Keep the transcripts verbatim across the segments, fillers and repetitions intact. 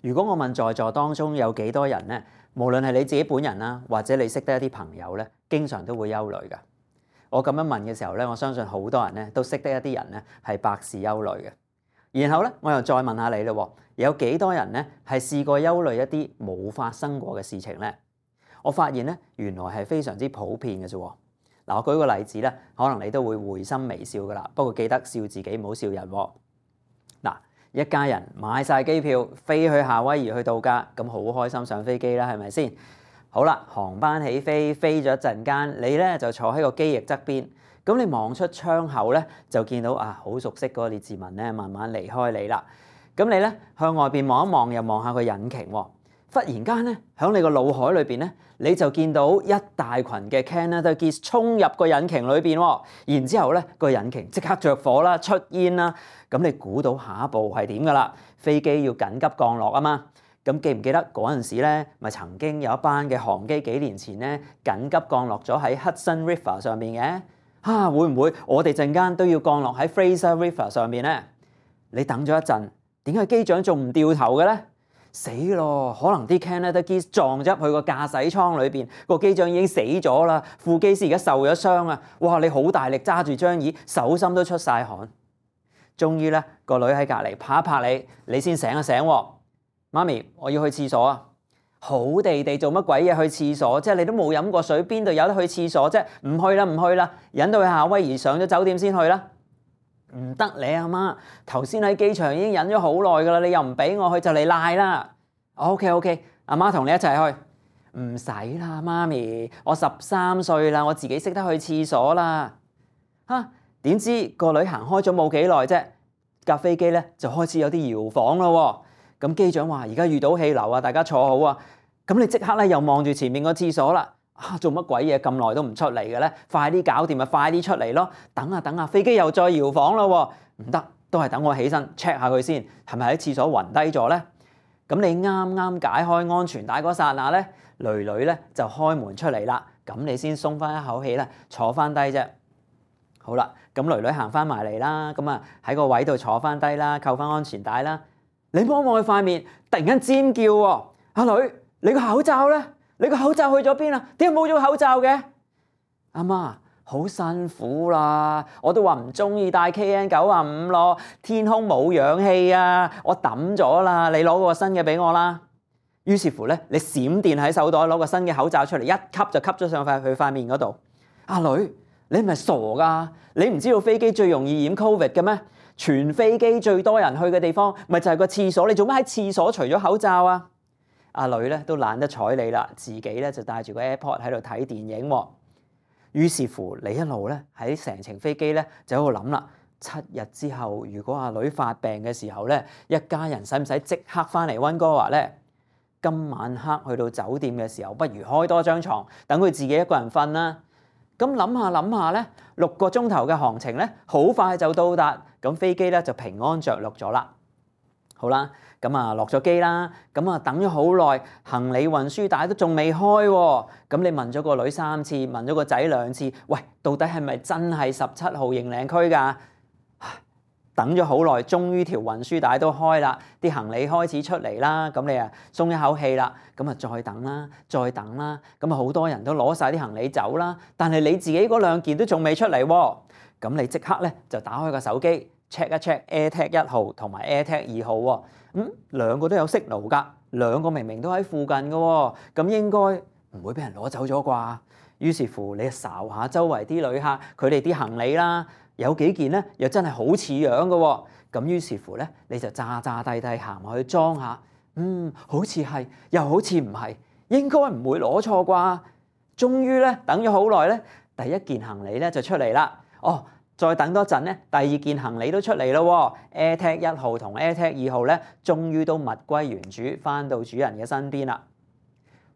如果我問在座當中有幾多人咧，無論係你自己本人啦，或者你識得一啲朋友咧，經常都會憂慮㗎。我咁樣問嘅時候咧，我相信好多人咧都識得一啲人咧係百事憂慮嘅。然後咧，我又再問下你咯，有幾多人咧係試過憂慮一啲冇發生過嘅事情咧？我發現咧，原來係非常之普遍嘅啫。嗱，我舉個例子咧，可能你都會會心微笑噶啦。不過記得笑自己，唔好笑人。嗱，一家人買晒機票飛去夏威夷去度假，咁好開心上飛機啦，係咪先？好啦，航班起飛，飛咗一陣間，你咧就坐喺個機翼側邊，咁你望出窗口咧，就見到啊好熟悉嗰個列治文咧，慢慢離開你啦。咁你咧向外邊望一望，又望下個引擎喎。忽然間咧，喺你個腦海裏邊咧，你就見到一大群嘅 Canada Geese 衝入個引擎裏邊喎。然之後咧，個引擎即刻着火啦，出煙啦。咁你估到下一步係點㗎啦？飛機要緊急降落啊嘛。咁記唔記得嗰陣時咧，咪曾經有一班嘅航機幾年前咧緊急降落咗喺 Hudson River 上面嘅？啊，會唔會我哋陣間都要降落喺 Fraser River 上面咧？你等咗一陣，點解機長仲唔掉頭嘅咧？死咯！可能啲 Canada Geese 撞咗入去個駕駛艙裏邊，個機長已經死咗啦，副機師而家受咗傷啊！哇！你好大力揸住張椅，手心都出晒汗。終於咧，個女喺隔離拍一拍你，你先醒一醒喎。媽咪，我要去廁所啊！好地地做乜鬼嘢去廁所？即係你都冇飲過水，邊度有得去廁所啫？唔去啦，唔去啦，忍到去夏威夷上咗酒店先去啦。唔得，你阿媽頭先喺機場已經忍咗好耐噶啦，你又唔俾我去就嚟賴啦。OK OK，阿媽同你一齊去。唔使啦，媽咪，我十三歲啦，我自己識得去廁所啦。嚇，點知個女行開咗冇幾耐啫，架飛機咧就開始有啲搖晃咯。咁機長話：而家遇到氣流啊，大家坐好啊。咁你即刻咧又望住前面個廁所啦。啊，做乜鬼嘢咁耐都唔出嚟嘅咧？快啲搞掂咪快啲出嚟咯！等下等下，飛機又再搖晃咯。唔得，都係等我起身 check 下佢先，係咪喺廁所暈低咗咧？咁你啱啱解開安全帶嗰剎那咧，囡囡咧就開門出嚟啦。咁你先鬆翻一口氣咧，坐翻低啫。好啦，咁囡囡行翻埋嚟啦，咁啊喺個位度坐翻低啦，扣翻安全帶啦。你望一望佢塊面，突然間尖叫喎！阿女，你個口罩咧？你個口罩去咗邊啊？點解冇咗口罩嘅？阿媽，好辛苦啦，我都話唔中意戴 K N 九十五咯，天空冇氧氣啊，我抌咗啦，你攞個新嘅俾我啦。於是乎咧，你閃電喺手袋攞個新嘅口罩出嚟，一吸就吸咗上塊佢塊面嗰度。阿女，你係咪傻㗎？你唔知道飛機最容易染 Covid 嘅咩？全飛機最多人去嘅地方，咪就係個廁所。你做咩喺廁所除咗口罩啊？阿女咧都懶得睬你啦，自己咧就帶住個 AirPod 喺度睇電影喎。於是乎，你一路咧喺成程飛機咧就喺度諗啦。七日之後，如果阿女發病嘅時候咧，一家人使唔使即刻翻嚟溫哥華咧？今晚黑去到酒店嘅時候，不如開多張床，等佢自己一個人瞓啦。咁諗下諗下咧，六個鐘頭嘅航程咧，好快就到達，咁飛機咧就平安着陸咗啦。好啦。咁啊落咗機啦，咁啊等咗好耐，行李運輸帶都仲未開喎。咁你問咗個女三次，問咗個仔兩次，喂，到底係咪真係十七號營領區㗎？等咗好耐，終於條運輸帶都開啦，啲行李開始出嚟啦。咁你啊鬆一口氣啦，咁啊再等啦，再等啦。咁啊好多人都攞晒啲行李走啦，但係你自己嗰兩件都仲未出嚟喎。咁你即刻咧就打開個手機 check 一 check AirTag 一號同埋 AirTag 二號喎。咁兩個都有 signal㗎，兩個明明都喺附近嘅喎，咁應該唔會俾人攞走咗啩？於是乎，你睄下周圍啲旅客，佢哋啲行李啦，有幾件咧又真係好似樣嘅喎。咁於是乎咧，你就詐詐諦諦行埋去裝下，嗯，好似係，又好似唔係，應該唔會攞錯啩？終於咧，等咗好耐咧，第一件行李咧就出嚟啦。哦！再等多陣咧，第二件行李都出嚟咯喎 ，AirTag 一號同 AirTag 二號咧，終於都物歸原主，翻到主人嘅身邊啦。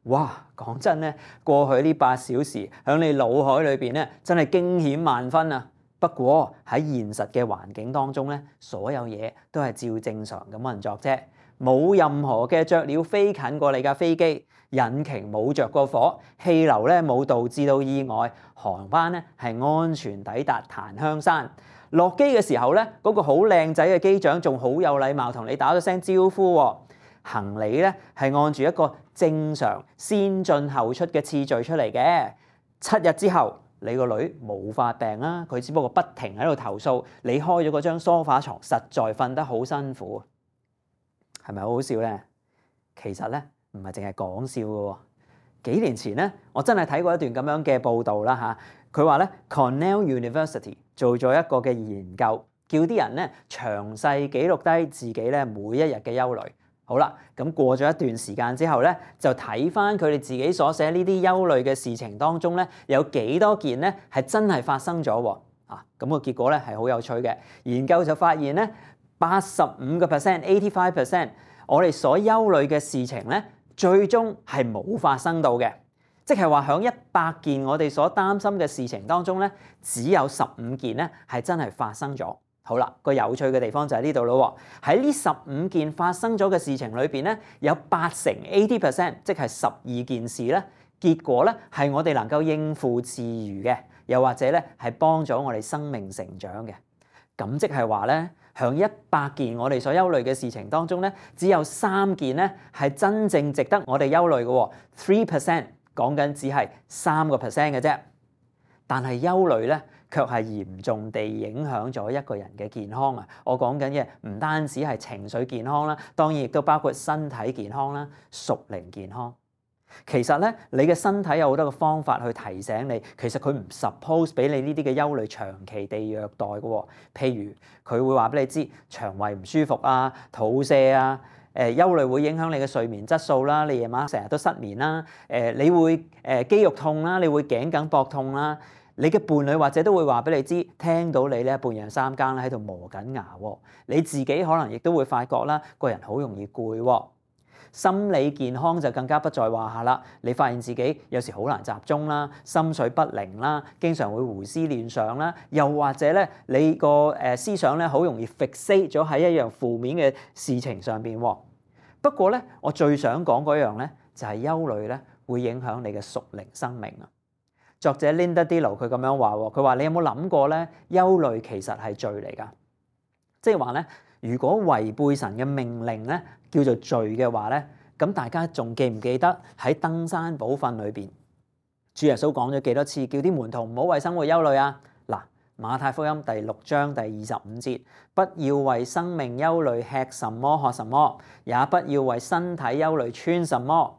哇！講真咧，過去呢八小時喺你腦海裏邊咧，真係驚險萬分啊！不過喺現實嘅環境當中咧，所有嘢都係照正常咁運作啫，冇任何嘅雀鳥飛近過你架飛機。引擎冇着過火，氣流咧冇導致到意外，航班咧係安全抵達檀香山。落機嘅時候咧，嗰個好靚仔嘅機長仲好有禮貌同你打咗聲招呼喎。行李咧係按住一個正常先進後出嘅次序出嚟嘅。七日之後，你個女冇發病啦，佢只不過不停喺度投訴你開咗嗰張梳化床，實在瞓得好辛苦，係咪好好笑咧？其實咧唔係淨係講笑嘅喎。幾年前咧，我真係睇過一段咁樣嘅報導啦嚇。佢話咧 Cornell University 做咗一個嘅研究，叫啲人咧詳細記錄低自己咧每一日嘅憂慮。好啦，咁過咗一段時間之後咧，就睇翻佢哋自己所寫呢啲憂慮嘅事情當中咧，有幾多件咧係真係發生咗喎？啊，咁個結果咧係好有趣嘅。研究就發現咧，八十五個 percent，eighty-five percent，我哋所憂慮嘅事情咧，最終係冇發生到嘅。即係話喺一百件我哋所擔心嘅事情當中咧，只有十五件咧係真係發生咗。好啦，個有趣嘅地方就喺呢度咯喎。喺呢十五件發生咗嘅事情裏邊咧，有八成 eighty percent， 即係十二件事咧，結果咧係我哋能夠應付自如嘅，又或者咧係幫咗我哋生命成長嘅。咁即係話咧，喺一百件我哋所憂慮嘅事情當中咧，只有三件咧係真正值得我哋憂慮嘅喎。three percent 講緊只係三個 percent 嘅啫，但係憂慮咧，卻係嚴重地影響咗一個人嘅健康啊！我講緊嘅唔單止係情緒健康啦，當然亦都包括身體健康啦、屬靈健康。其實咧，你嘅身體有好多個方法去提醒你，其實佢唔 suppose 俾你呢啲嘅憂慮長期地虐待嘅喎。譬如佢會話俾你知腸胃唔舒服啊、肚瀉啊。誒，憂慮會影響你嘅睡眠質素啦，你夜晚成日都失眠啦。誒，你會誒肌肉痛啦，你會頸梗膊痛啦。你嘅伴侶或者都會話俾你知，聽到你咧半夜三更咧喺度磨緊牙喎。你自己可能亦都會發覺啦，個人好容易攰喎。心理健康就更加不在話下啦。你發現自己有時好難集中啦，心緒不寧啦，經常會胡思亂想啦，又或者咧你個誒思想咧好容易 fixate 咗喺一樣負面嘅事情上邊喎。不過咧，我最想講嗰樣咧就係憂慮咧會影響你嘅屬靈生命啊。作者 Linda Dillow 佢咁樣話喎，佢話你有冇諗過咧？憂慮其實係罪嚟㗎，即係話咧，如果違背神嘅命令咧叫做罪嘅話咧，咁大家仲記唔記得喺登山寶訓裏邊，主耶穌講咗幾多次叫啲門徒唔好為生活憂慮啊？嗱，馬太福音第六章第二十五節，不要為生命憂慮，吃什麼喝什麼，也不要為身體憂慮，穿什麼。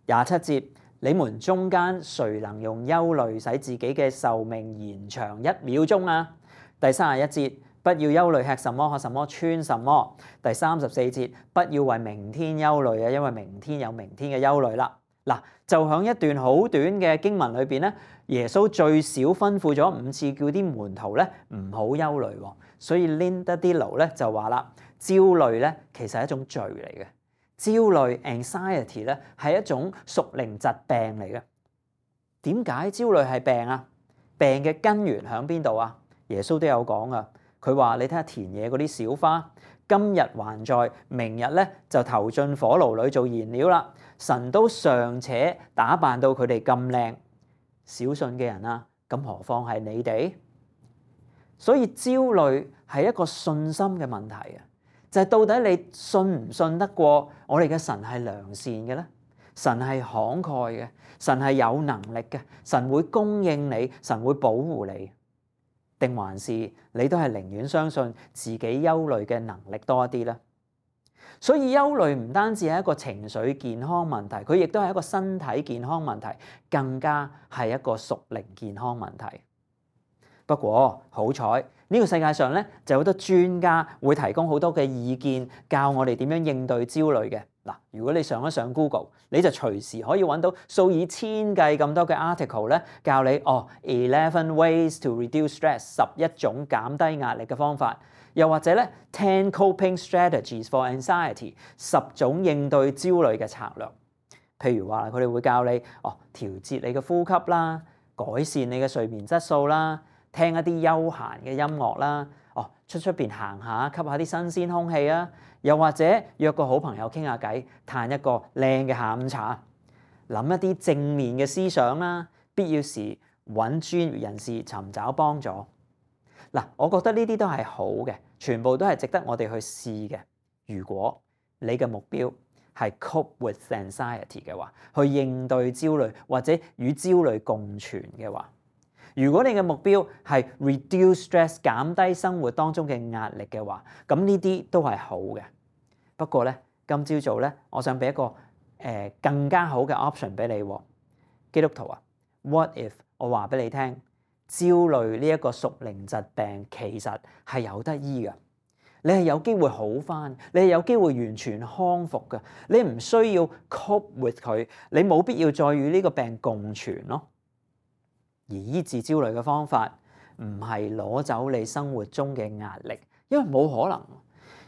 廿七節。你們中間誰能用憂慮使自己嘅壽命延長一秒鐘啊？第三十一節，不要憂慮吃什麼喝什麼穿什麼。第三十四節，不要為明天憂慮啊，因為明天有明天嘅憂慮啦。嗱，就喺一段好短嘅經文裏邊咧，耶穌最少吩咐咗五次叫啲門徒咧唔好憂慮喎。所以 Linda Dillow 咧就話啦，焦慮咧其實係一種罪嚟嘅。焦慮 anxiety 咧係一種屬靈疾病嚟嘅。點解焦慮係病啊？病嘅根源喺邊度啊？耶穌都有講啊。佢話你睇下田野嗰啲小花，今日還在，明日咧就投進火爐裏做燃料啦。神都尚且打扮到佢哋咁靚，小信嘅人啊，咁何況係你哋？所以焦慮係一個信心嘅問題啊。就係到底你信唔信得過我哋嘅神係良善嘅咧？神係慷慨嘅，神係有能力嘅，神會供應你，神會保護你，定還是你都係寧願相信自己憂慮嘅能力多一啲咧？所以憂慮唔單止係一個情緒健康問題，佢亦都係一個身體健康問題，更加係一個屬靈健康問題。不過好彩呢個世界上咧就有好多專家會提供好多嘅意見，教我哋點樣應對焦慮嘅。嗱，如果你上一上 Google，你就隨時可以揾到數以千計咁多嘅 article 咧，教你哦 eleven ways to reduce stress 十一種減低壓力嘅方法，又或者咧 ten coping strategies for anxiety 十種應對焦慮嘅策略。譬如話佢哋會教你哦調節你嘅呼吸啦，改善你嘅睡眠質素啦。聽一啲休閒嘅音樂啦，哦，出出邊行下，吸下啲新鮮空氣啊，又或者約個好朋友傾下偈，嘆一個靚嘅下午茶，諗一啲正面嘅思想啦，必要時揾專業人士尋找幫助。嗱，我覺得呢啲都係好嘅，全部都係值得我哋去試嘅。如果你嘅目標係 cope with anxiety 嘅話，去應對焦慮或者與焦慮共存嘅話，如果你嘅目標係 reduce stress 減低生活當中嘅壓力嘅話，咁呢啲都係好嘅。不過咧，今朝早咧，我想俾一個誒、呃、更加好嘅 option 俾你喎，基督徒啊 ，what if 我話俾你聽，焦慮呢一個屬靈疾病其實係有得醫嘅。你係有機會好返，你係有機會完全康復嘅。你唔需要 cope with 佢，你冇必要再與呢個病共存咯。而醫治焦慮嘅方法唔係攞走你生活中嘅壓力，因為冇可能。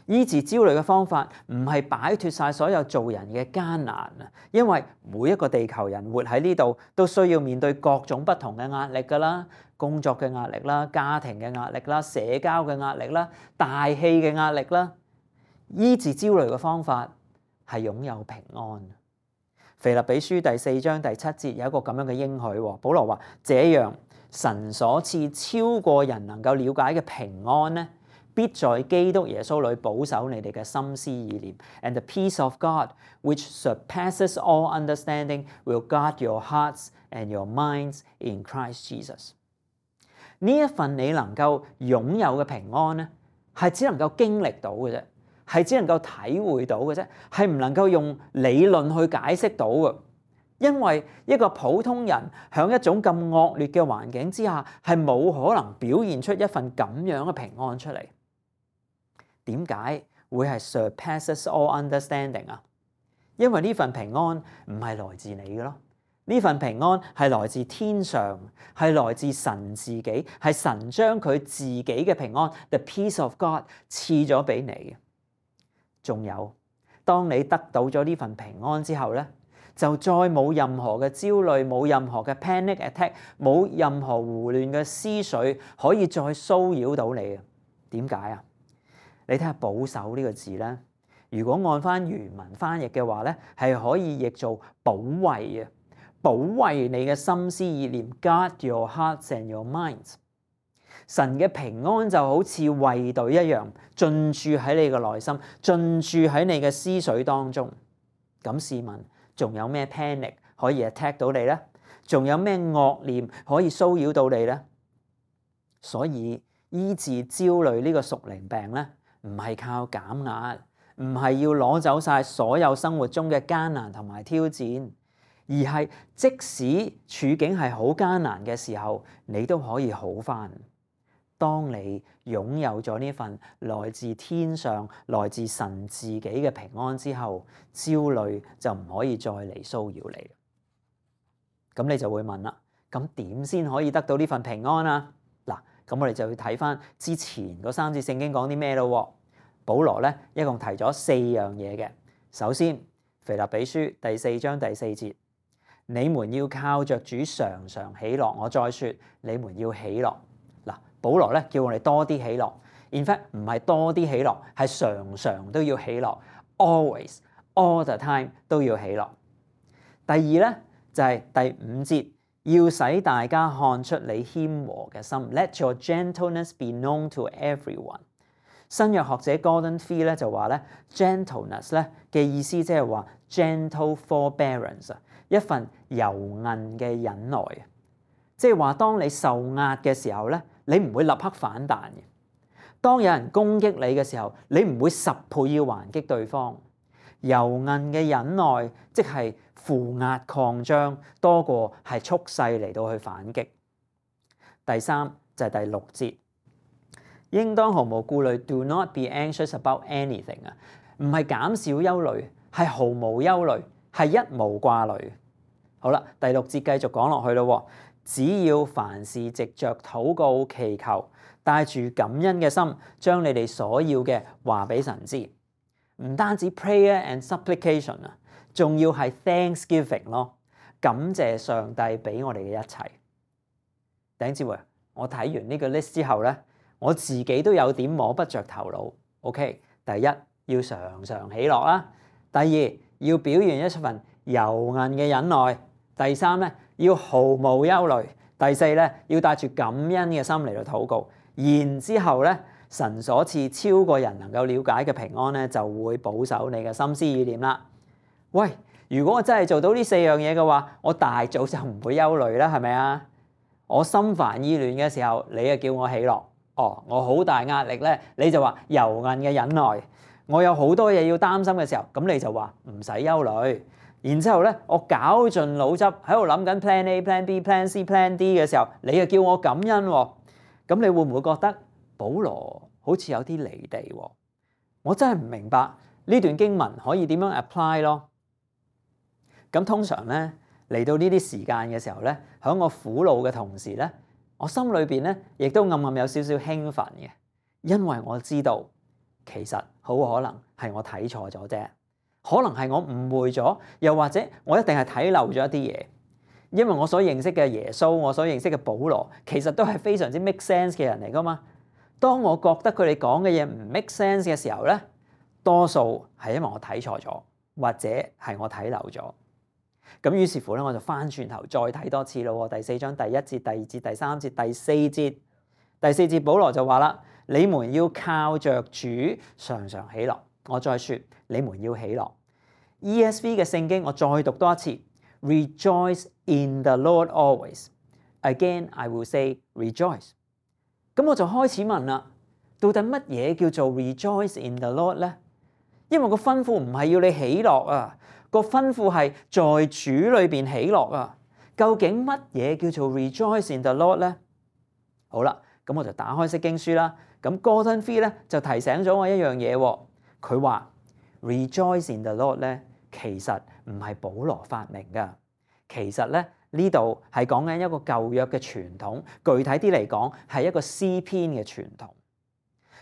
醫治焦慮嘅方法唔係擺脫晒所有做人嘅艱難啊，因為每一個地球人活喺呢度都需要面對各種不同嘅壓力㗎啦。工作嘅壓力啦，家庭嘅壓力啦，社交嘅壓力啦，大氣嘅壓力啦，醫治焦慮嘅方法係擁有平安。腓立比書第四章第七節有一個咁樣嘅應許，保羅話：這樣神所賜超過人能夠了解嘅平安呢，必在基督耶穌裏保守你哋嘅心思意念。And the peace of God, which surpasses all understanding, will guard your hearts and your minds in Christ Jesus。呢一份你能夠擁有嘅平安咧，係只能夠經歷到嘅啫，係只能夠體會到嘅啫，係唔能夠用理論去解釋到嘅。因為一個普通人喺一種咁惡劣嘅環境之下，係冇可能表現出一份咁樣嘅平安出嚟。點解會係 surpasses all understanding 啊？因為呢份平安唔係來自你嘅咯。呢份平安係來自天上，係來自神自己，係神將佢自己嘅平安 ，the peace of God 賜咗俾你。仲有，當你得到咗呢份平安之後咧，就再冇任何嘅焦慮，冇任何嘅 panic attack，冇任何胡亂嘅思緒可以再騷擾到你啊！點解啊？你睇下保守呢個字咧，如果按翻原文翻譯嘅話咧，係可以譯做保衛啊。保衛你嘅心思意念 ，guard your hearts and your minds。神嘅平安就好似衛隊一樣，進駐喺你嘅內心，進駐喺你嘅思緒當中。咁試問，仲有咩 panic 可以 attack 到你咧？仲有咩惡念可以騷擾到你咧？所以醫治焦慮呢個屬靈病咧，唔係靠減壓，唔係要攞走晒所有生活中嘅艱難同埋挑戰。而係即使處境係好艱難嘅時候，你都可以好返。當你擁有咗呢份來自天上、來自神自己嘅平安之後，焦慮就唔可以再嚟騷擾你。咁你就會問啦，咁點先可以得到呢份平安啊？嗱，咁我哋就要睇返之前嗰三節聖經講啲咩咯。保羅咧一共提咗四樣嘢嘅。首先，腓立比書第四章第四節。你們要靠着主常常喜樂。我再說，你們要喜樂。嗱，保羅咧叫我哋多啲喜樂。In fact，唔係多啲喜樂，係常常都要喜樂。Always, all the time 都要喜樂。第二咧就係、是、第五節，要使大家看出你謙和嘅心。Let your gentleness be known to everyone。新約學者 Gordon Fee 咧就話咧 ，gentleness 咧嘅意思即係話 gentle forbearance 啊。一份柔韌嘅忍耐，即係話當你受壓嘅時候咧，你唔會立刻反彈嘅。當有人攻擊你嘅時候，你唔會十倍要還擊對方。柔韌嘅忍耐，即係負壓擴張多過係蓄勢嚟到去反擊。第三就係、是、第六節，應當毫無顧慮 ，do not be anxious about anything 啊，唔係減少憂慮，係毫無憂慮，係一無掛慮。好啦，第六節繼續講落去咯。只要凡事藉着禱告祈求，帶住感恩嘅心，將你哋所要嘅話俾神知。唔單止 prayer and supplication 啊，仲要係 thanksgiving 咯，感謝上帝俾我哋嘅一切。弟兄姊妹，我睇完呢個 list 之後咧，我自己都有點摸不着頭腦。OK， 第一要常常喜樂啦，第二要表現一份柔韌嘅忍耐。第三咧，要毫無憂慮；第四咧，要帶住感恩嘅心嚟到禱告。然之後咧，神所賜超過人能夠了解嘅平安咧，就會保守你嘅心思意念啦。喂，如果我真係做到呢四樣嘢嘅話，我大早就唔會憂慮啦，係咪啊？我心煩意亂嘅時候，你就叫我喜樂。哦，我好大壓力咧，你就話柔韌嘅忍耐。我有好多嘢要擔心嘅時候，咁你就話唔使憂慮。然之後咧，我搞盡腦汁喺度諗緊 plan A、plan B、plan C、plan D 嘅時候，你又叫我感恩喎。咁你會唔會覺得保羅好似有啲離地喎？我真係唔明白呢段經文可以點樣 apply 咯。咁通常咧，嚟到呢啲時間嘅時候咧，喺我苦惱嘅同時咧，我心裏邊咧亦都暗暗有少少興奮嘅，因為我知道其實好可能係我睇錯咗啫，可能係我誤會咗，又或者我一定係睇漏咗一啲嘢。因為我所認識嘅耶穌，我所認識嘅保羅，其實都係非常之 make sense 嘅人嚟噶嘛。當我覺得佢哋講嘅嘢唔 make sense 嘅時候咧，多數係因為我睇錯咗，或者係我睇漏咗。咁於是乎咧，我就翻轉頭再睇多次咯。第四章第一節、第二節、第三節、第四節，第四節保羅就話啦：你們要靠着主常常喜樂。我再說，你們要喜樂。E S V 嘅聖經我再讀多一次 ：Rejoice in the Lord always. Again, I will say rejoice. 咁我就開始問啦，到底乜嘢叫做 Rejoice in the Lord 咧？因為個吩咐唔係要你喜樂啊。個吩咐係在主裏邊喜樂啊！究竟乜嘢叫做 Rejoice in the Lord 咧？好啦，咁我就打開釋經書啦。咁 Gordon Fee 咧就提醒咗我一樣嘢喎。佢話 Rejoice in the Lord 咧，其實唔係保羅發明㗎。其實咧呢度係講緊一個舊約嘅傳統，具體啲嚟講係一個詩篇嘅傳統。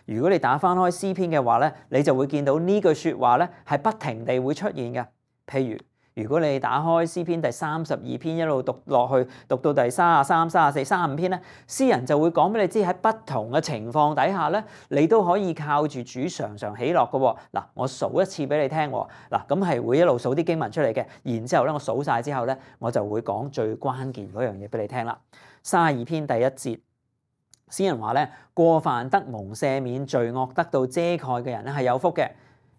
如果你打翻開詩篇嘅話咧，你就會見到呢句説話咧係不停地會出現嘅。譬如，如果你打開詩篇第三十二篇一路讀落去，讀到第三十三、三十四、三十五篇咧，詩人就會講俾你知喺不同嘅情況底下咧，你都可以靠住主常常喜樂嘅喎。嗱，我數一次俾你聽喎。嗱，咁係會一路數啲經文出嚟嘅。然之後咧，我數晒之後咧，我就會講最關鍵嗰樣嘢俾你聽啦。三十二篇第一節，詩人話咧：過犯得蒙赦免，罪惡得到遮蓋嘅人咧係有福嘅。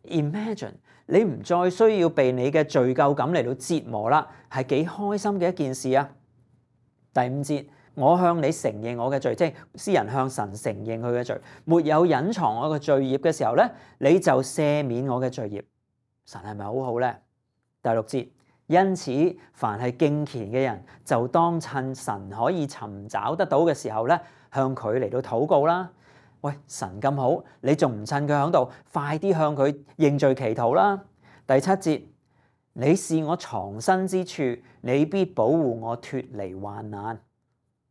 Imagine 你唔再需要被你嘅罪疚感嚟到折磨啦，係幾開心嘅一件事啊！第五節，我向你承認我嘅罪，即係詩人向神承認佢嘅罪，沒有隱藏我嘅罪孽嘅時候咧，你就赦免我嘅罪孽。神係咪好好咧？第六節，因此凡係敬虔嘅人，就當趁神可以尋找得到嘅時候咧，向佢嚟到禱告啦。喂，神咁好，你仲唔趁佢喺度，快啲向佢認罪祈禱啦！第七節，你是我藏身之處，你必保護我脫離患難。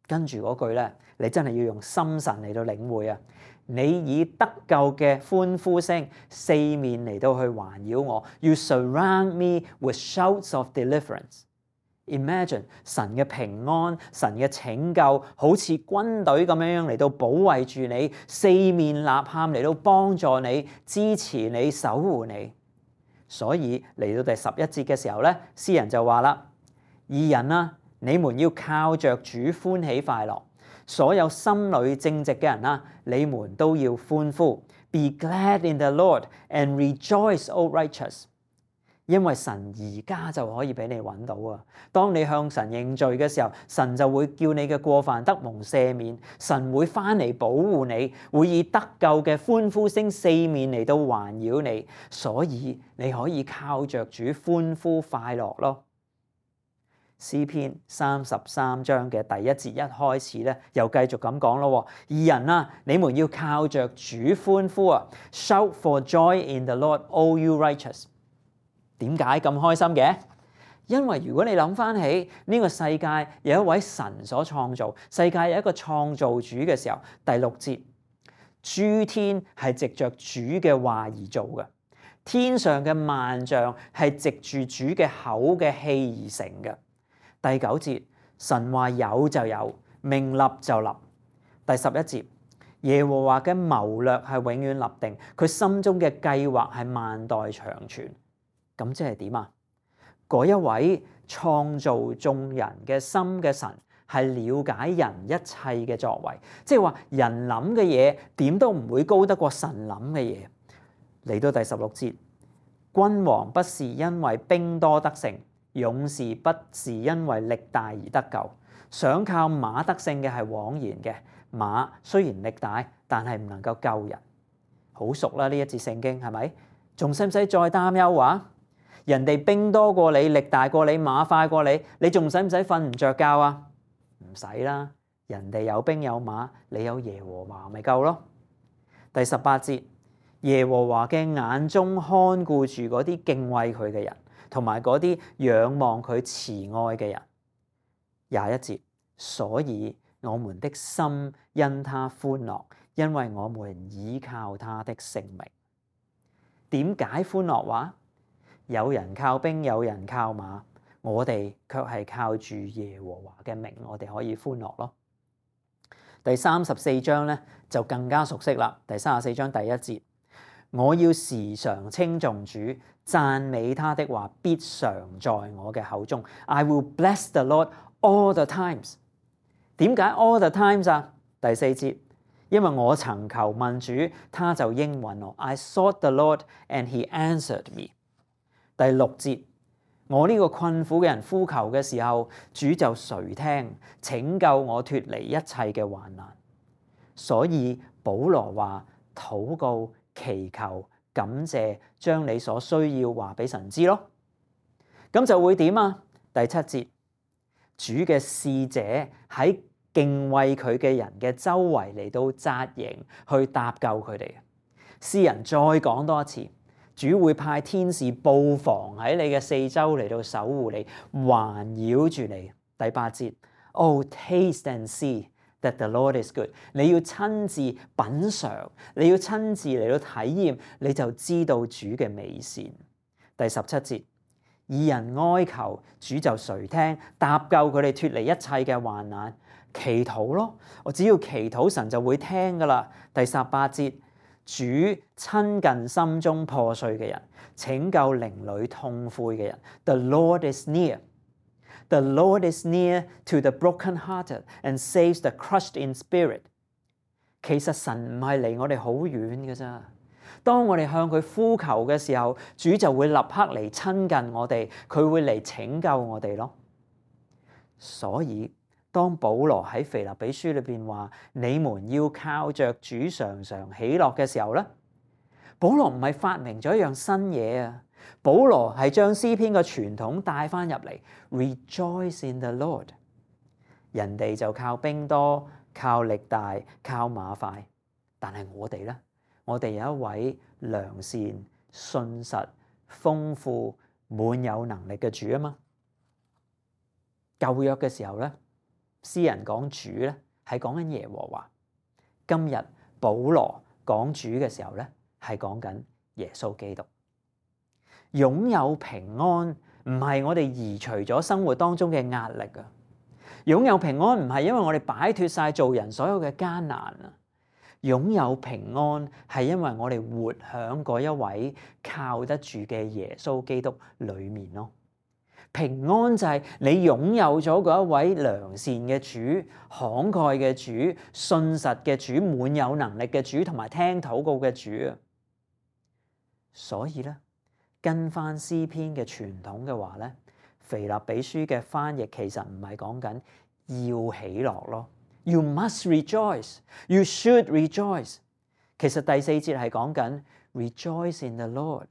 跟住嗰句咧，你真係要用心神嚟到領會啊！你以得救嘅歡呼聲四面嚟到去環繞我 ，You surround me with shouts of deliverance。Imagine 神嘅平安、神嘅拯救，好似軍隊咁樣樣嚟到保衛住你，四面吶喊嚟到幫助你、支持你、守護你。所以嚟到第十一節嘅時候咧，詩人就話啦：義人啊，你們要靠着主歡喜快樂；所有心裏正直嘅人啊，你們都要歡呼。Be glad in the Lord and rejoice, O righteous。因為神而家就可以俾你揾到啊！當你向神認罪嘅時候，神就會叫你嘅過犯得蒙赦免，神會翻嚟保護你，會以得救嘅歡呼聲四面嚟到環繞你，所以你可以靠着主歡呼快樂咯。詩篇三十三章嘅第一節一開始咧，又繼續咁講咯。義人啊，你們要靠着主歡呼啊 ！Shout for joy in the Lord, all you righteous。點解咁開心嘅？因為如果你諗翻起呢個世界有一位神所創造，世界有一個創造主嘅時候，第六節，諸天係藉着主嘅話而做嘅，天上嘅萬象係藉住主嘅口嘅氣而成嘅。第九節，神話有就有，命立就立。第十一節，耶和華嘅謀略係永遠立定，佢心中嘅計劃係萬代長存。咁即係點啊？嗰一位創造眾人嘅心嘅神係了解人一切嘅作為，即係話人諗嘅嘢點都唔會高得過神諗嘅嘢。嚟到第十六節，君王不是因為兵多得勝，勇士不是因為力大而得救。想靠馬得勝嘅係枉然嘅，馬雖然力大，但係唔能夠救人。好熟啦，呢一節聖經係咪？仲使唔使再擔憂話？人哋兵多過你，力大過你，馬快過你，你仲使唔使瞓唔着覺啊？唔使啦，人哋有兵有馬，你有耶和華咪夠咯。第十八節，耶和華嘅眼中看顧住嗰啲敬畏佢嘅人，同埋嗰啲仰望佢慈愛嘅人。廿一節，所以我們的心因他歡樂，因為我們倚靠他的聖名。點解歡樂話？有人靠兵，有人靠馬，我哋卻係靠住耶和華嘅名，我哋可以歡樂咯。第三十四章咧就更加熟悉啦。第三十四章第一節，我要時常稱頌主，讚美他的話必常在我嘅口中。I will bless the Lord all the times。點解 all the times 啊？第四節，因為我曾求問主，他就應允我。I sought the Lord and he answered me。第六節，我呢個困苦嘅人呼求嘅時候，主就垂聽，拯救我脫離一切嘅患難。所以保羅話：禱告、祈求、感謝，將你所需要話俾神知咯。咁就會點啊？第七節，主嘅使者喺敬畏佢嘅人嘅周圍嚟到紮營，去搭救佢哋。詩人再講多一次。主會派天使布防喺你嘅四周嚟到守護你，環繞住你。第八節 ，Oh taste and see that the Lord is good。你要親自品嚐，你要親自嚟到體驗，你就知道主嘅美善。第十七節，義人哀求，主就垂聽，搭救佢哋脫離一切嘅患難。祈禱咯，我只要祈禱，神就會聽噶啦。第十八節。主親近心中破碎嘅人，拯救靈裏痛悔嘅人。The Lord is near. The Lord is near to the broken-hearted and saves the crushed in spirit. 其實神唔係離我哋好遠嘅咋。當我哋向佢呼求嘅時候，主就會立刻嚟親近我哋，佢會嚟拯救我哋咯。所以當保羅喺腓立比書裏邊話你們要靠着主常常喜樂嘅時候咧，保羅唔係發明咗一樣新嘢啊！保羅係將詩篇嘅傳統帶翻入嚟 ，Rejoice in the Lord。人哋就靠兵多、靠力大、靠馬快，但係我哋咧，我哋有一位良善、信實、豐富、滿有能力嘅主啊嘛！舊約嘅時候咧。詩人講主咧，係講緊耶和華。今日保羅講主嘅時候咧，係講緊耶穌基督。擁有平安唔係我哋移除咗生活當中嘅壓力啊！擁有平安唔係因為我哋擺脫晒做人所有嘅艱難啊！擁有平安係因為我哋活響嗰一位靠得住嘅耶穌基督裏面咯。平安就係你擁有咗嗰一位良善嘅主、慷慨嘅主、信實嘅主、滿有能力嘅主同埋聽禱告嘅主啊！所以咧，跟翻詩篇嘅傳統嘅話咧，腓立比書嘅翻譯其實唔係講緊要喜樂咯。You must rejoice, you should rejoice。其實第四節係講緊 rejoice in the Lord。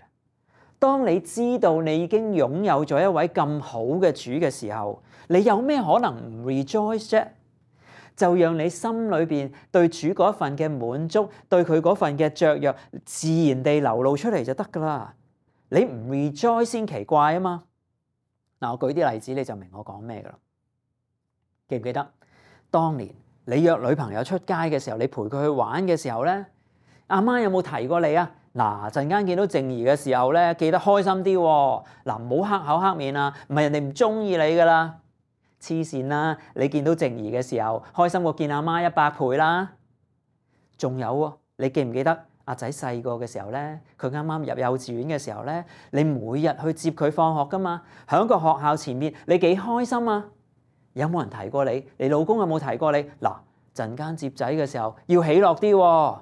當你知道你已經擁有咗一位咁好嘅主嘅時候，你有咩可能唔 rejoice 啫？就讓你心裏邊對主嗰份嘅滿足，對佢嗰份嘅雀躍，自然地流露出嚟就得噶啦。你唔 rejoice 先奇怪啊嘛！嗱，我舉啲例子你就明我講咩噶啦。記唔記得當年你約女朋友出街嘅時候，你陪佢去玩嘅時候咧，阿媽有冇提過你啊？嗱，陣間見到靜怡嘅時候咧，記得開心啲喎。嗱，唔好黑口黑面啊，唔係人哋唔中意你噶啦。黐線啦！你見到靜怡嘅時候，開心過見阿媽一百倍啦。仲有喎，你記唔記得阿仔細個嘅時候咧？佢啱啱入幼稚園嘅時候咧，你每日去接佢放學噶嘛？喺個學校前面，你幾開心啊？有冇人提過你？你老公有冇提過你？嗱，陣間接仔嘅時候要喜樂啲喎。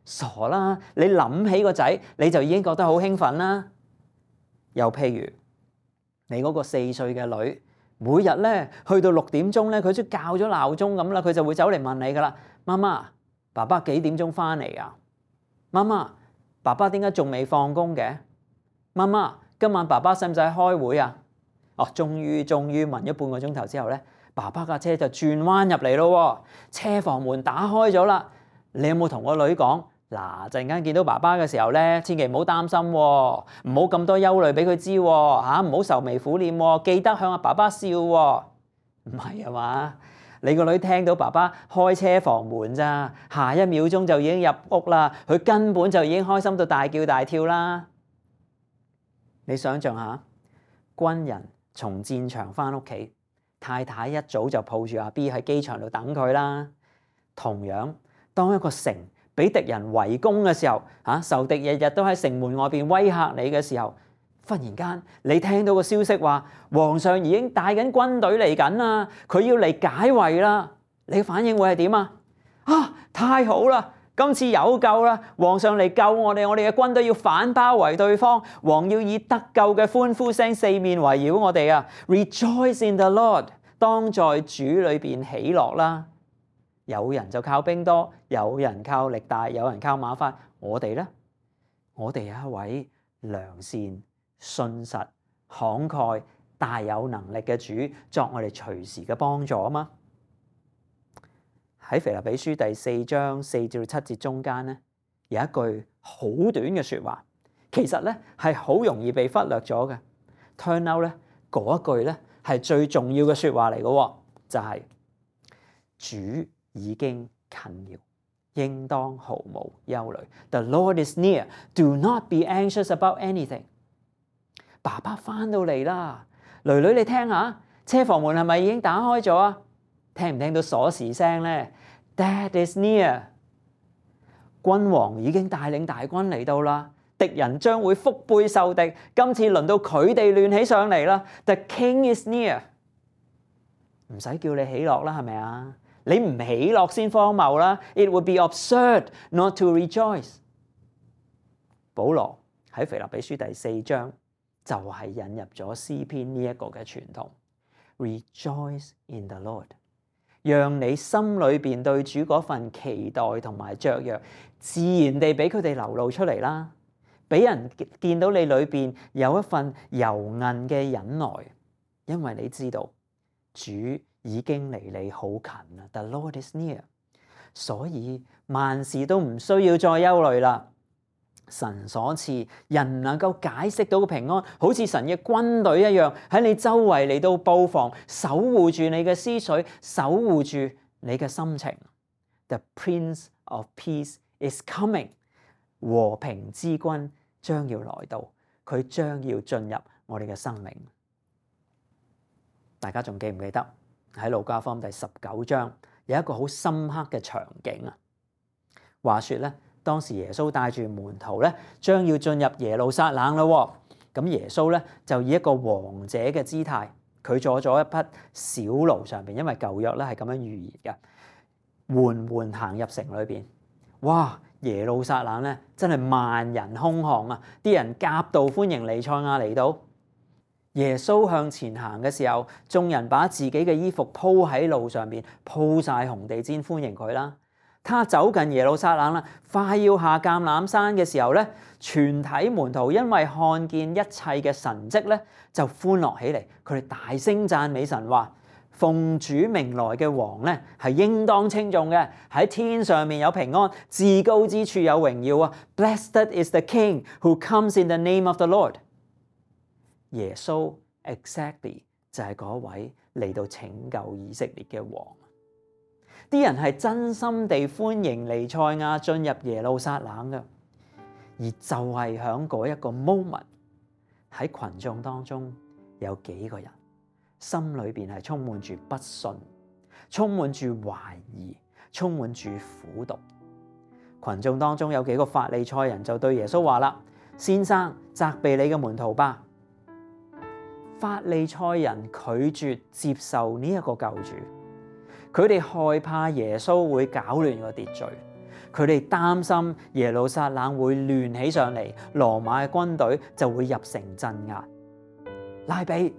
傻啦！你諗起個仔你就已經覺得好興奮啦。又譬如你嗰個四歲嘅女，每日咧去到六點鐘咧，佢都校咗鬧鐘咁啦，佢就會走嚟問你噶啦，媽媽，爸爸幾點鐘翻嚟啊？媽媽，爸爸點解仲未放工嘅？媽媽，今晚爸爸使唔使開會啊？哦，終於終於問咗半個鐘頭之後咧，爸爸架車就轉彎入嚟咯，車房門打開咗啦。你有冇同個女講？嗱，陣間見到爸爸嘅時候咧，千祈唔好擔心喎，唔好咁多憂慮俾佢知喎，嚇唔好愁眉苦臉喎，記得向阿爸爸笑喎。唔係啊嘛？你個女聽到爸爸開車房門咋，下一秒鐘就已經入屋啦，佢根本就已經開心到大叫大跳啦。你想象下，軍人從戰場翻屋企，太太一早就抱住阿 B 喺機場度等佢啦。同樣，當一個城俾敵人圍攻嘅時候，嚇仇敵日日都喺城門外邊威嚇你嘅時候，忽然間你聽到個消息話皇上已經帶緊軍隊嚟緊啦，佢要嚟解圍啦，你嘅反應會係點啊？啊，太好啦！今次有救啦！皇上嚟救我哋，我哋嘅軍隊要反包圍對方，王要以得救嘅歡呼聲四面圍繞我哋啊 ！Rejoice in the Lord， 當在主裏邊喜樂啦！有人就靠兵多，有人靠力大，有人靠馬快。我哋呢？我哋有一位良善、信實、慷慨、大有能力嘅主，作我哋隨時嘅幫助啊嘛！喺腓立比書第四章四至七節中間咧，有一句好短嘅説話，其實咧係好容易被忽略咗嘅。Turn out 咧嗰一句咧係最重要嘅説話嚟嘅，就係、是、主已經近了，應當毫無憂慮。The Lord is near. Do not be anxious about anything. 爸爸翻到嚟啦，囡囡你聽下，車房門係咪已經打開咗啊？聽唔聽到鎖匙聲咧？ Dad is near。君王已經帶領大軍嚟到啦，敵人將會腹背受敵。今次輪到佢哋亂起上嚟啦。The King is near。唔使叫你喜樂啦，係咪啊？你唔喜樂先荒謬啦。It would be absurd not to rejoice。保羅喺腓立比書第四章就係引入咗詩篇呢一個嘅傳統。Rejoice in the Lord。讓你心裏邊對主嗰份期待同埋雀躍，自然地俾佢哋流露出嚟啦。俾人見到你裏邊有一份柔韌嘅忍耐，因為你知道主已經離你好近啦。The Lord is near， 所以萬事都唔需要再憂慮啦。神所賜人唔能夠解釋到嘅平安，好似神嘅軍隊一樣喺你周圍嚟到布防，守護住你嘅思緒，守護住你嘅心情。The Prince of Peace is coming， 和平之君將要來到，佢將要進入我哋嘅生命。大家仲記唔記得喺路加福音第十九章有一個好深刻嘅場景啊？話說咧，當時耶穌帶住門徒咧，將要進入耶路撒冷啦。咁耶穌咧就以一個王者嘅姿態，佢坐咗一匹小驢上邊，因為舊約咧係咁樣預言嘅，緩緩行入城裏邊。哇！耶路撒冷咧真係萬人空巷啊！啲人夾道歡迎彌賽亞嚟到。耶穌向前行嘅時候，眾人把自己嘅衣服鋪喺路上邊，鋪晒紅地毯歡迎佢啦。他走近耶路撒冷啦，快要下橄欖山嘅時候咧，全體門徒因為看見一切嘅神蹟咧，就歡樂起嚟。佢哋大聲讚美神，話奉主名來嘅王咧係應當稱頌嘅，喺天上面有平安，至高之處有榮耀啊 ！Blessed is the King who comes in the name of the Lord。耶穌 exactly 就係嗰位嚟到拯救以色列嘅王。啲人係真心地歡迎彌賽亞進入耶路撒冷嘅，而就係喺嗰一個 moment 喺群眾當中有幾個人心裏邊係充滿住不信、充滿住懷疑、充滿住苦毒。群眾當中有幾個法利賽人就對耶穌話啦：先生，責備你嘅門徒吧。法利賽人拒絕接受呢一個救主。佢哋害怕耶穌會搞亂個秩序，佢哋擔心耶路撒冷會亂起上嚟，羅馬嘅軍隊就會入城鎮壓。拉比，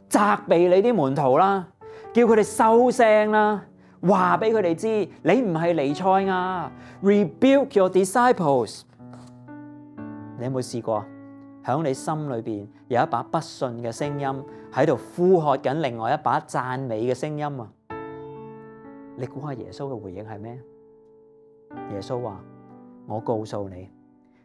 責備你啲門徒啦，叫佢哋收聲啦，話俾佢哋知你唔係彌賽亞。Rebuke your disciples。你有冇試過響你心裏邊有一把不信嘅聲音喺度呼喝緊另外一把讚美嘅聲音啊？你估下耶穌嘅回應係咩？耶穌話：我告訴你，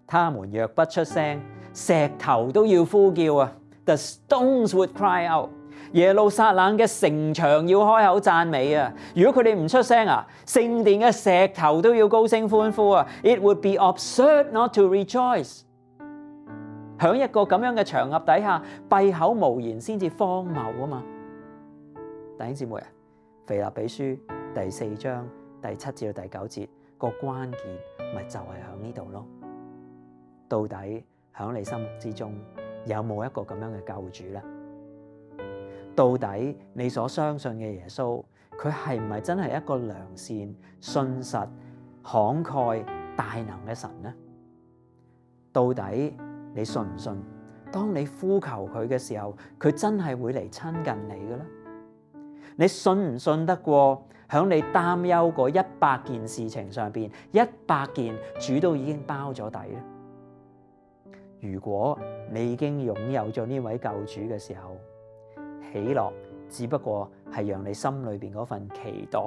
他們若不出聲，石頭都要呼叫啊！ The stones would cry out。耶路撒冷嘅城牆要開口讚美啊！如果佢哋唔出聲啊，聖殿嘅石頭都要高聲歡呼啊 ！It would be absurd not to rejoice。響一個咁樣嘅場合底下，閉口無言先至荒謬啊嘛！弟兄姊妹啊，腓立比書第四章第七至到第九節個關鍵咪就係響呢度咯。到底響你心目之中有冇一個咁樣嘅救主咧？到底你所相信嘅耶穌，佢係唔係真係一個良善、信實、慷慨、大能嘅神呢？到底你信唔信？當你呼求佢嘅時候，佢真係會嚟親近你嘅咧？你信唔信得過響你擔憂嗰一百件事情上邊，一百件主都已經包咗底咧？如果你已經擁有咗呢位救主嘅時候，喜樂只不過係讓你心裏邊嗰份期待、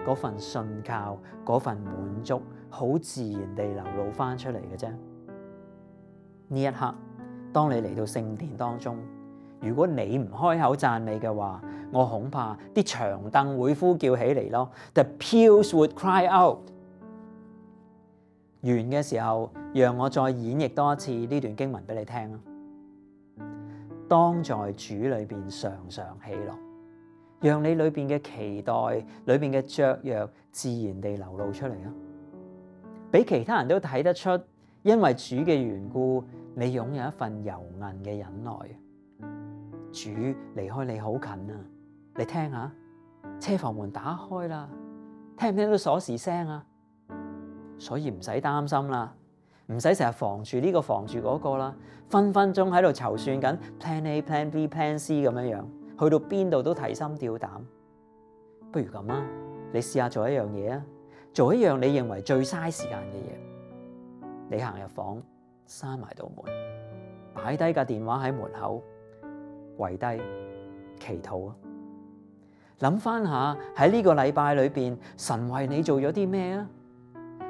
嗰份信靠、嗰份滿足，好自然地流露翻出嚟嘅啫。呢一刻，當你嚟到聖殿當中，如果你唔開口讚美嘅話，我恐怕啲長凳會呼叫起嚟咯。The pews would cry out。完嘅時候，讓我再演繹多一次呢段經文俾你聽啊！當在主裏邊常常喜樂，讓你裏邊嘅期待、裏邊嘅雀躍自然地流露出嚟啊！俾其他人都睇得出，因為主嘅緣故，你擁有一份柔韌嘅忍耐。主離開你好近啊！你聽下，車房門打開啦，聽唔聽到鎖匙聲啊？所以唔使擔心啦。唔使成日防住呢個防住嗰個啦，分分鐘喺度籌算緊 plan A、plan B、plan C 咁樣樣，去到邊度都提心吊膽。不如咁啊，你試下做一樣嘢啊，做一樣你認為最嘥時間嘅嘢。你行入房，閂埋道門，擺低架電話喺門口，跪低祈禱啊！諗翻下喺呢個禮拜裏邊，神為你做咗啲咩啊？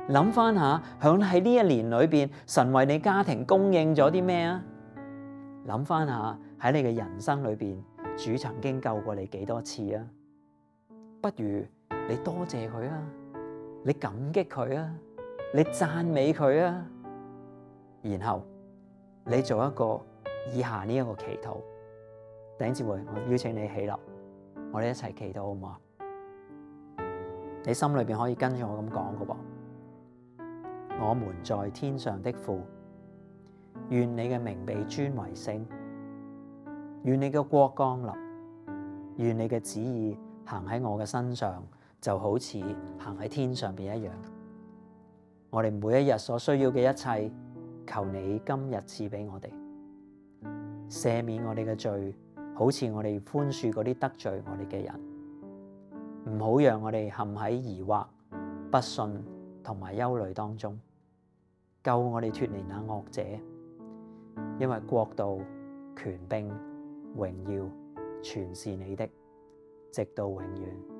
諗翻下，響喺呢一年裏邊，神為你家庭供應咗啲咩啊？諗翻下喺你嘅人生裏邊，主曾經救過你幾多次啊？不如你多謝佢啊，你感激佢啊，你讚美佢啊，然後你做一個以下呢一個祈禱。弟兄姊妹，我邀請你起立，我哋一齊祈禱好唔好啊？你心裏邊可以跟住我咁講噶噃。我們在天上的父，願你嘅名被尊為聖，願你嘅國降臨，願你嘅旨意行喺我嘅身上，就好似行喺天上邊一樣。我哋每一日所需要嘅一切，求你今日賜俾我哋，赦免我哋嘅罪，好似我哋寬恕嗰啲得罪我哋嘅人，唔好讓我哋陷喺疑惑、不信同埋憂慮當中，救我哋脫離那惡者，因為國度、權柄、榮耀全是你的，直到永遠。